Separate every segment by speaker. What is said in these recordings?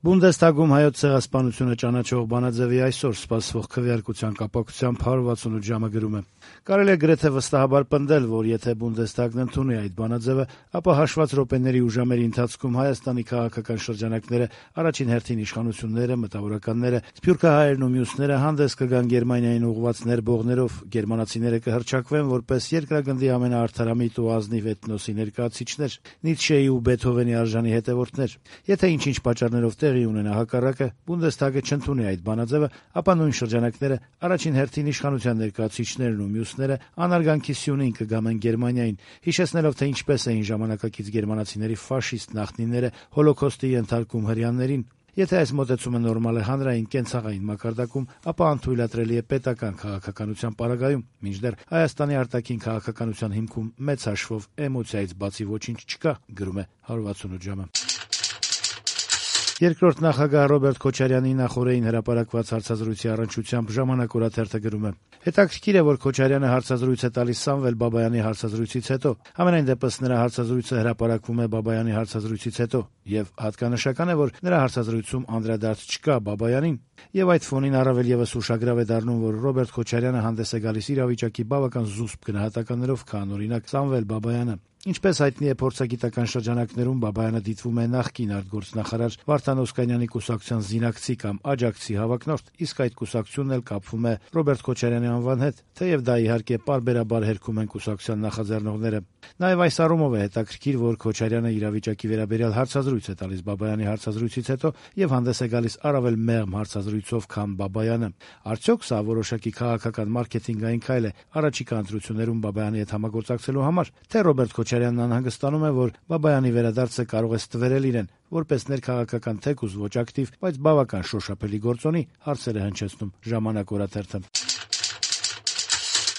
Speaker 1: Բունդեսթագում հայոց ցեղասպանությունը ճանաչող բանաձեւի այսօր սպասվող քվեարկության կապակցությամբ 168 ժամը գրում է. կարելի է գրեթե վստահաբար պնդել, որ եթե Բունդեսթագն ընդունի այդ բանաձեւը, ապա հաշված րոպեների ու ժամերի ընթացքում Հայաստանի քաղաքական շրջանակները, առաջին հերթին իշխանությունները, մտավորականները, սփյուռքահայերն ու մյուսները հանդես կգան Գերմանիային ուղղված ներբողներով, գերմանացիները կհռչակվեն որպես երկրագնդի ամենաարդարամիտ ու ազնիվ էթնոսի ներկայացուցիչներ, Նիցշեի ու Բեթհովենի արժանի հետևորդներ։ Եթե ինչ-ինչ պատճառներով տեղի ունենա հակառակը, Բունդեսթագը չընդունի այդ բանաձեւը, ապա նույն շրջանակները, առաջին հերթին իշխանության ներկայացուցիչներն ու մյուսները անարգանքի սյունին կգամեն Գերմանիային, հիշեցնելով, թե ինչպես էին ժամանակակից գերմանացիների ֆաշիստ նախնիները հոլոքոստի ենթարկում հրեաներին։ Եթե այս մոտեցումը նորմալ է հանրային կենցաղային մակարդակում, ապա անթույլատրելի է պետական քաղաքականության պարագայում, մինչդեռ Հայաստանի արտաքին քաղաքականության հիմքում մեծ հաշվով էմոցիայից բացի ոչինչ չկա, գրում է 168 ժամը։ Երկրորդ նախագահ Ռոբերտ Քոչարյանի նախօրեին հրապարակված հարցազրույցի առնչությամբ «Ժամանակ» օրաթերթը գրում է. հետաքրքիր է, որ Քոչարյանը հարցազրույց է տալիս Սամվել Բաբայանի հարցազրույցից հետո։ Համենայն դեպս նրա հարցազրույցը հրապարակվում է Բաբայանի հարցազրույցից հետո, եւ հատկանշական է, որ նրա հարցազրույցում անդրադարձ չկա Բաբայանին, եւ այդ ֆոնին առավել եւս ուշագրավ է դառնում, որ Ռոբերտ Քոչարյանը հանդես է գալիս իրավիճակի բավական զուսպ գնահատականներով, քան օրինակ Սամվել Բաբայանը։ Ինչպես հայտնի է, փորձագիտական շրջանակներում Բաբայանը դիտվում է նախկին արտգործնախարար Վարդան Օսկանյանի կուսակցության զինակցի կամ աջակցի հավակնորդ, իսկ այդ կուսակցությունն էլ կապվում է Ռոբերտ Քոչարյանի անվան հետ, թեև դա իհարկե պարբերաբար հերքում են կուսակցության նախաձեռնողները։ Նաեւ այս առումով է հետաքրքիր, որ Քոչարյանը իրավիճակի վերաբերյալ հարցազրույց է տալիս Բաբայանի հարցազրույցից հետո եւ հանդես է գալիս առավել մեղմ հարցազրույցով, քան Բաբայանը։ Արդյոք սա որոշակի քաղաքական մարքեթինգային քայլ է առաջիկա ընտրություններում Բաբայանի հետ համագործակցելու համար, թե Ռոբերտ Քոչարյանն անհանգստանում է, որ Բաբայանի վերադարձը կարող է ստվերել իրեն որպես ներքաղաքական թեկուզ ոչ ակտիվ, բայց բավական շոշափելի գործոնի, հարցեր է հնչեցնում «Ժամանակ» օրաթերթը։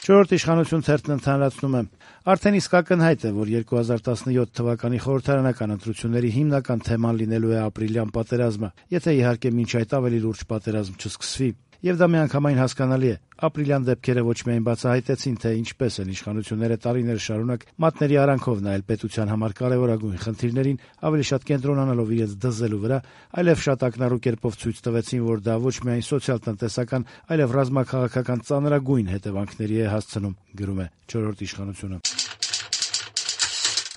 Speaker 1: Չորրորդ իշխանություն թերթն ընդհանրացնում է. արդեն իսկ ակնհայտ է, որ 2017 թվականի խորհրդարանական ընտրությունների հիմնական թեման լինելու է ապրիլյան պատերազմը, եթե իհարկե մինչ այդ ավելի լուրջ պատերազմ չսկսվի։ Եվ դա միանգամայն հասկանալի է։ Ապրիլյան դեպքերը ոչ միայն բացահայտեցին, թե ինչպես են իշխանությունները տարիներ շարունակ մատների արանքով նայել պետության համար կարևորագույն խնդիրներին, ավելի շատ կենտրոնանալով իրենց դզելու վրա, այլև շատ ակնառու կերպով ցույց տվեցին, որ դա ոչ միայն սոցիալ-տնտեսական, այլև ռազմաքաղաքական ծանրագույն հետևանքների է հասցնում, գրում է չորրորդ իշխանությունը։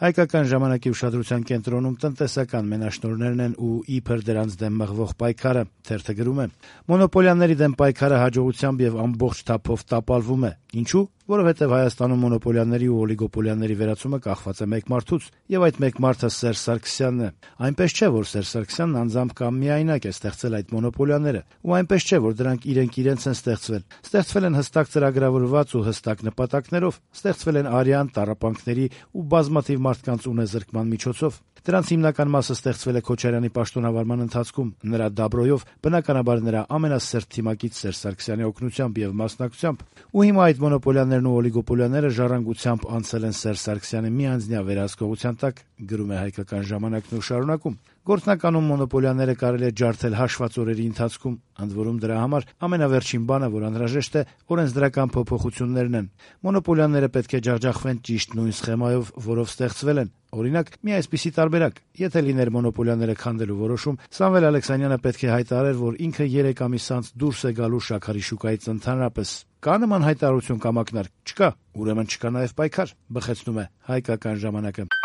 Speaker 1: Հայկական ժամանակի ուշադրության կենտրոնում տնտեսական մենաշնորհներն են ու իբր դրանց դեմ մղվող պայքարը, թերթը գրում է. մոնոպոլիաների դեմ պայքարը հաջողությամբ եւ ամբողջ թափով տապալվում է։ Ինչու՞։ Որովհետեւ Հայաստանում մոնոպոլիաների ու օլիգոպոլիաների վերացումը կախված է մեկ մարդուց, եւ այդ մեկ մարդը Սերժ Սարգսյանն է։ Այնպես չէ, որ Սերժ Սարգսյանն անձամբ կամ միայնակ է ստեղծել այդ մոնոպոլիաները, ու այնպես չէ, որ դրանք իրենք են ստեղծվել։ Ստեղծվել են հստակ ծրագրավորված ու հստակ նպատակներով, ստեղծվել են արյան, տառապանքների ու բազմաթիվ մարդկանց ունեզրկման միջոցով։ Դրանց հիմնական մասը ստեղծվել է Քոչարյանի պաշտոնավարման ընթացքում, նրա դաբրոյով, բնականաբար նրա ամենասերտ թիմակից Սերժ Սարգսյանի օգնությամբ եւ մասնակցությամբ։ Ու հիմա այդ մոնոպոլիաներն ու օլիգոպոլիաները ժառանգությամբ անցել են Սերժ Սարգսյանի միանձնյա վերահսկողության տակ, գրում է Հայկական ժամանակն ու շարունակում։ Գործնականում մոնոպոլիաները կարելի է ջարդել հաշված օրերի ընթացքում, ընդ որում դրա համար ամենավերջին բանը, որ անհրաժեշտ է, օրենսդրական փոփոխություններն են։ Մոնոպոլիաները պետք է ջախջախվեն ճիշտ նույն սխեմայով, որով ստեղծվել են։ Օրինակ, մի այսպիսի տարբերակ. եթե լիներ մոնոպոլիաները քանդելու որոշում, Սամվել Ալեքսանյանը պետք է հայտարարեր, որ ինքը 3 ամիս անց դուրս է գալու շաքարի շուկայից ընդհանրապես։ Կա նման հայտարարություն կամ ակնարկ։ Չկա, ուրեմն չկա նաև պայքար, բխեցնում է Հայկական ժամանակը։